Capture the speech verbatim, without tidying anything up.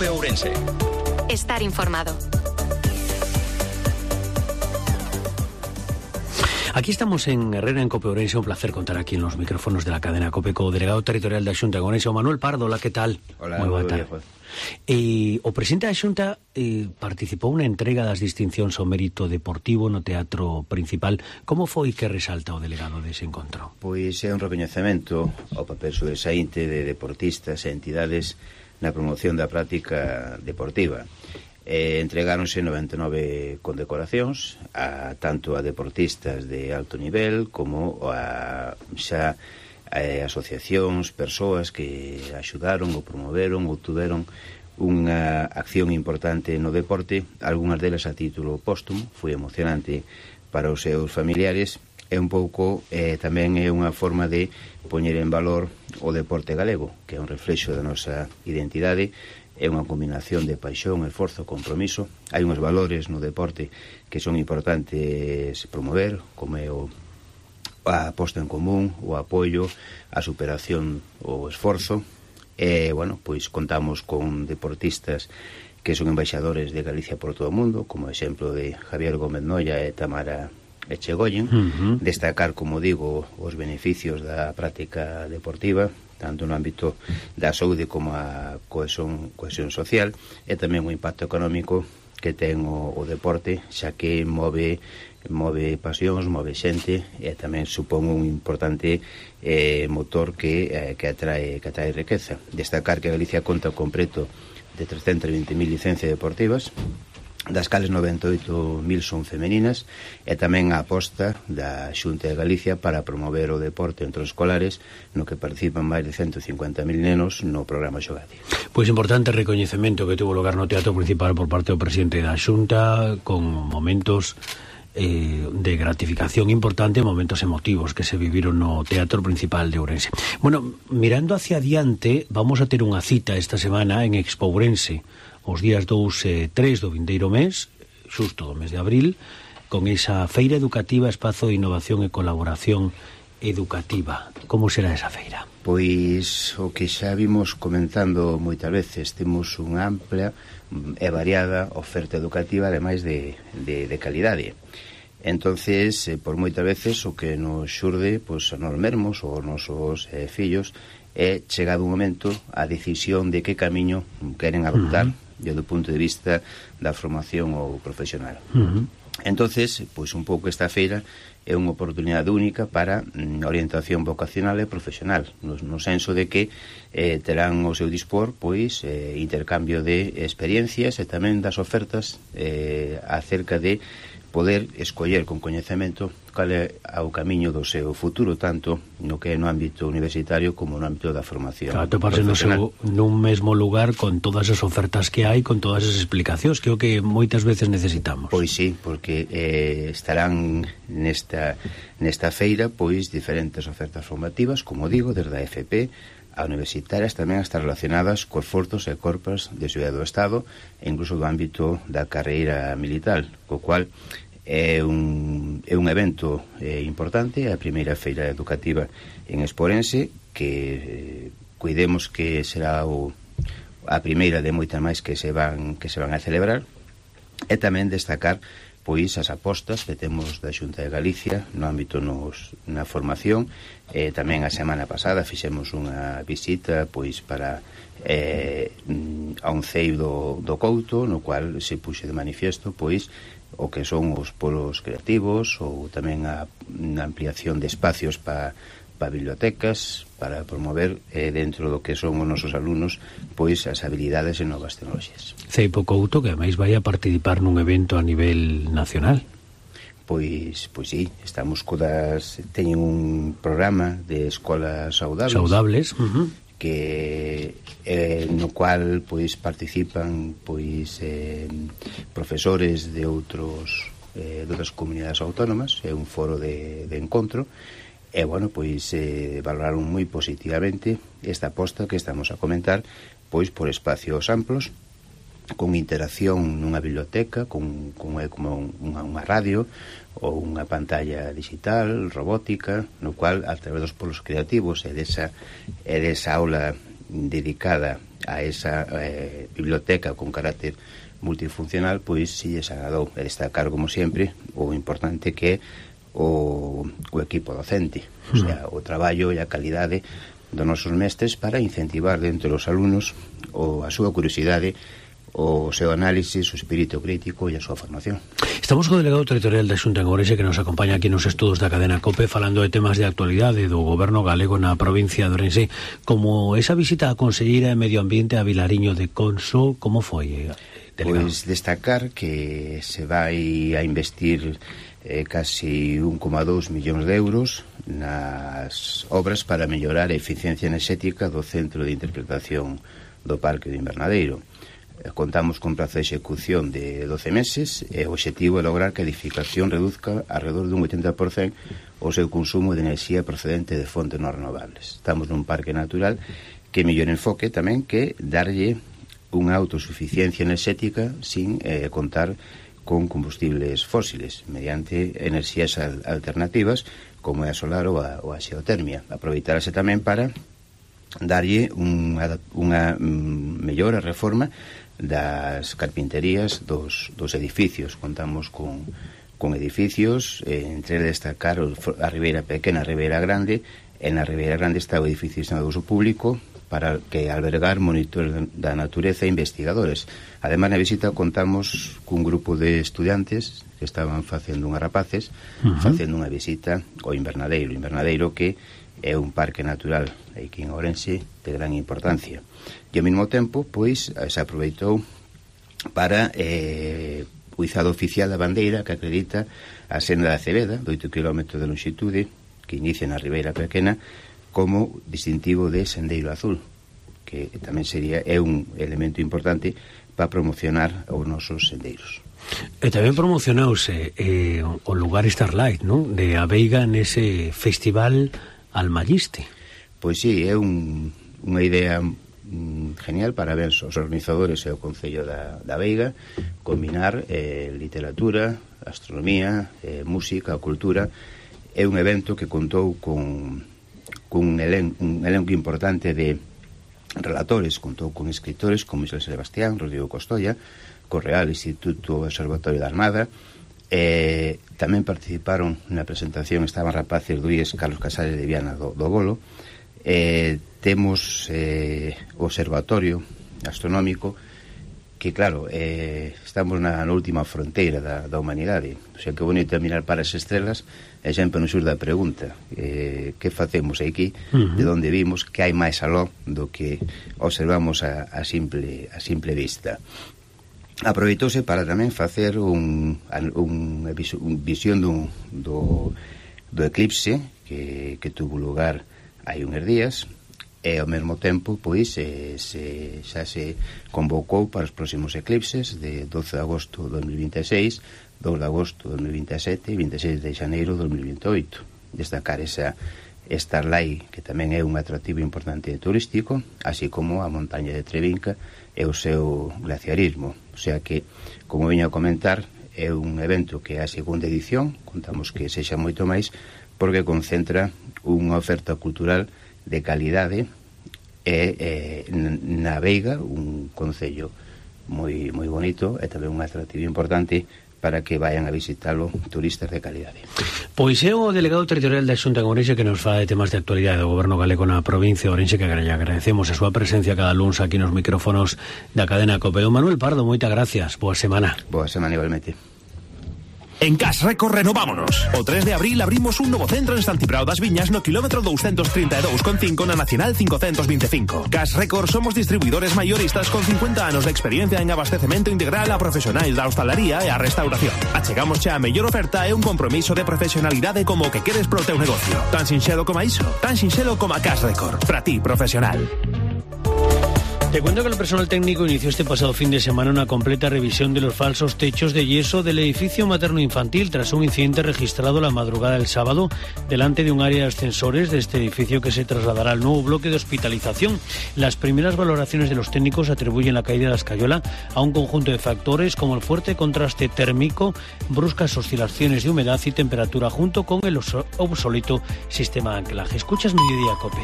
Cope Ourense. Estar informado. Aquí estamos en Herrera, en Cope Ourense. Un placer contar aquí en los micrófonos de la cadena Cope co delegado territorial da Xunta de Ourense, Manuel Pardo. Hola, que tal? Hola, moi boa tarde. E o presidente da Xunta eh, participou na entrega das distincións ao mérito deportivo no Teatro Principal. Como foi que resalta o delegado dese encontro? Pois é un recoñecemento ao papel sobresaínte de deportistas e entidades na promoción da práctica deportiva. Eh, entregáronse noventa e nove condecoracións a tanto a deportistas de alto nivel como a xa eh, asociacións, persoas que axudaron ou promoveron ou tuveron unha acción importante no deporte, algunhas delas a título póstumo. Foi emocionante para os seus familiares e un pouco eh, tamén é unha forma de poñer en valor o deporte galego, que é un reflexo da nosa identidade. É unha combinación de paixón, esforzo, compromiso. Hai uns valores no deporte que son importantes promover, como é o, a posta en común, o apoio, a superación, o esforzo. E, bueno, pois contamos con deportistas que son embaixadores de Galicia por todo o mundo, como exemplo de Javier Gómez Noia e Tamara Echegoyen. Uh-huh. Destacar, como digo, os beneficios da práctica deportiva, tanto no ámbito da saúde como a cohesión, cohesión social, e tamén o impacto económico que ten o, o deporte, xa que move move pasións, move xente, e tamén supón un importante eh, motor que, eh, que, atrae, que atrae riqueza. Destacar que Galicia conta con preto de trescentas e vinte mil licencias deportivas, das cales noventa e oito mil son femeninas, e tamén a aposta da Xunta de Galicia para promover o deporte entre os escolares, no que participan máis de ciento cincuenta mil nenos no programa Xogade. Pois importante recoñecemento que tuvo lugar no Teatro Principal por parte do presidente da Xunta, con momentos eh, de gratificación importante, momentos emotivos que se viviron no Teatro Principal de Ourense. Bueno, mirando hacia adiante, vamos a ter unha cita esta semana en Expo Ourense, os días dous e tres do vindeiro mes, xusto do mes de abril, con esa feira educativa, espazo de innovación e colaboración educativa. Como será esa feira? Pois o que xa vimos comentando moitas veces, temos unha ampla e variada oferta educativa, ademais de, de, de calidade. Entonces, eh, por moitas veces o que nos xurde, pois, a nós mesmos ou os nosos eh, fillos, é chegado un momento a decisión de que camiño queren adoptar, uh-huh, desde o punto de vista da formación ou profesional. Uh-huh. Entonces, pois un pouco esta feira é unha oportunidade única para mm, orientación vocacional e profesional, no, no senso de que eh, terán o seu dispor pois eh, intercambio de experiencias e tamén das ofertas eh, acerca de poder escoller con coñecemento cal é o camiño do seu futuro, tanto no que é no ámbito universitario como no ámbito da formación. Claro, toparse no seu, nun mesmo lugar con todas as ofertas que hai, con todas as explicacións, que é o que moitas veces necesitamos. Pois sí, porque eh, estarán nesta, nesta feira pois diferentes ofertas formativas, como digo, desde a F P a universitarias, tamén están relacionadas cos forzos e corpos de seguridade do Estado e incluso do ámbito da carreira militar, co cual é un, é un evento eh, importante, a primeira feira educativa en Expo Ourense, que eh, cuidemos que será o, a primeira de moitas máis que se van que se van a celebrar, e tamén destacar pois as apostas que temos da Xunta de Galicia no ámbito nos, na formación. Eh, tamén a semana pasada fixemos unha visita pois para eh, a un cei do, do Couto, no cual se puxe de manifiesto pois o que son os polos creativos, ou tamén a, a ampliación de espacios para pa bibliotecas, para promover eh, dentro do que son os nosos alumnos pois as habilidades e novas tecnologías. Ceipo Couto, que ademais vai a participar nun evento a nivel nacional. Pois, pois sí, estamos codas, teñen un programa de escolas saudables, saudables uh-huh, que eh, no cual pois participan pois eh, profesores de outros eh, de outras comunidades autónomas, é un foro de, de encontro. E, bueno, pois eh, valoraron moi positivamente esta aposta que estamos a comentar, pois por espacios amplos, con interacción nunha biblioteca, con, con como unha, unha radio ou unha pantalla digital, robótica, no cual, a través dos polos creativos e desa, e desa aula dedicada a esa eh, biblioteca con carácter multifuncional, pois si lles agradou. E destacar, como sempre, o importante que é o, o equipo docente, o sea, o traballo e a calidade dos nosos mestres para incentivar dentro dos alumnos o, a súa curiosidade, o seu análisis, o espírito crítico e a súa formación. Estamos co delegado territorial da Xunta en Ourense, que nos acompaña aquí nos estudos da cadena COPE, falando de temas de actualidade do goberno galego na provincia de Ourense, como esa visita a conselleira de Medio Ambiente a Vilariño de Conso. Como foi, delegado? Pois destacar que se vai a investir eh, casi un coma dous millóns de euros nas obras para mellorar a eficiencia enerxética do centro de interpretación do Parque do Invernadeiro. Contamos con prazo de execución de doce meses e o objetivo é lograr que a edificación reduzca alrededor dun oitenta por cento o seu consumo de enerxía procedente de fontes non renovables. Estamos nun parque natural que mellor enfoque tamén que darlle unha autosuficiencia enerxética sin eh, contar con combustibles fósiles, mediante enerxías al alternativas como é a solar ou a, ou a xeotermia. Aproveitarase tamén para darlle unha, unha mellor reforma das carpinterías dos, dos edificios. Contamos con, con edificios, eh, entre destacar a Ribeira Pequena, a Ribeira Grande, e na Ribeira Grande está o edificio de uso público para que albergar monitores da natureza e investigadores. Ademais, na visita contamos cun grupo de estudiantes que estaban facendo unhas rapaces, uh-huh. facendo unha visita ao Invernadeiro, Invernadeiro que é un parque natural aquí en Ourense de gran importancia. E ao mesmo tempo, pois, se aproveitou para eh, o izado oficial da bandeira que acredita a senda da Cebeda, de oito kilómetros de longitude, que inicia na Ribeira Pequena, como distintivo de sendeiro azul, que tamén sería é un elemento importante para promocionar os nosos sendeiros. E tamén promocionouse eh, o lugar Starlight, non? De A Veiga nese festival Almalliste. Pois sí, é un, unha idea mm, genial, para ver os organizadores e o Concello da, da Veiga combinar eh, literatura, astronomía, eh, música, cultura. É un evento que contou con, con un, elen, un elenco importante de relatores, contou con escritores como Michel Sebastián, Rodrigo Costolla, Correal, Instituto Observatorio da Armada. Eh, tamén participaron na presentación, estaban rapaces do I E S Carlos Casares de Viana do, do Bolo. Eh, temos eh, o observatorio astronómico que, claro, eh, estamos na, na última fronteira da, da humanidade. O sea, que bonito é mirar para as estrelas e sempre nos surda a pregunta, eh, que facemos aquí, uh-huh. de onde vimos, que hai máis aló do que observamos a, a, simple, a simple vista. Aproveitouse para tamén facer un, un, un visión do, do, do eclipse que, que tuvo lugar hai uns días, e ao mesmo tempo pois se, se, xa se convocou para os próximos eclipses de doce de agosto de dos mil vinte e seis, dous de agosto de dos mil vinte e sete e vinte e seis de xaneiro de dos mil vinte e oito. Destacar esa Starlight, que tamén é un atractivo importante turístico, así como a montaña de Trevinca e o seu glaciarismo. O sea que, como veño a comentar, é un evento que é a segunda edición, contamos que sexa moito máis, porque concentra unha oferta cultural de calidade e eh, na Veiga, un concello moi moi bonito e tamén un atractivo importante para que vayan a visitalo turistas de calidade. Pois é o delegado territorial da Xunta en Ourense que nos fala de temas de actualidade do goberno galego na provincia de Ourense, que agradecemos a súa presencia cada luns aquí nos micrófonos da cadena COPE. Manuel Pardo, moitas gracias. Boa semana. Boa semana igualmente. En Cash Record renovámonos. O tres de abril abrimos un novo centro en Santiprao das Viñas no kilómetro doscientos treinta e dous con cinco na Nacional cincocentos vinte e cinco. Cash Record somos distribuidores mayoristas con cincuenta anos de experiencia en abastecemento integral a profesionais da hostalaría e a restauración. Achegamos xa a mellor oferta e un compromiso de profesionalidade como o que queres pro teu negocio. Tan sinxelo como iso, tan sinxelo como a Cash Record. Para ti, profesional. Te cuento que el personal técnico inició este pasado fin de semana una completa revisión de los falsos techos de yeso del edificio materno-infantil tras un incidente registrado la madrugada del sábado delante de un área de ascensores de este edificio que se trasladará al nuevo bloque de hospitalización. Las primeras valoraciones de los técnicos atribuyen la caída de la escayola a un conjunto de factores como el fuerte contraste térmico, bruscas oscilaciones de humedad y temperatura junto con el obsoleto sistema de anclaje. Escuchas Mediodía COPE.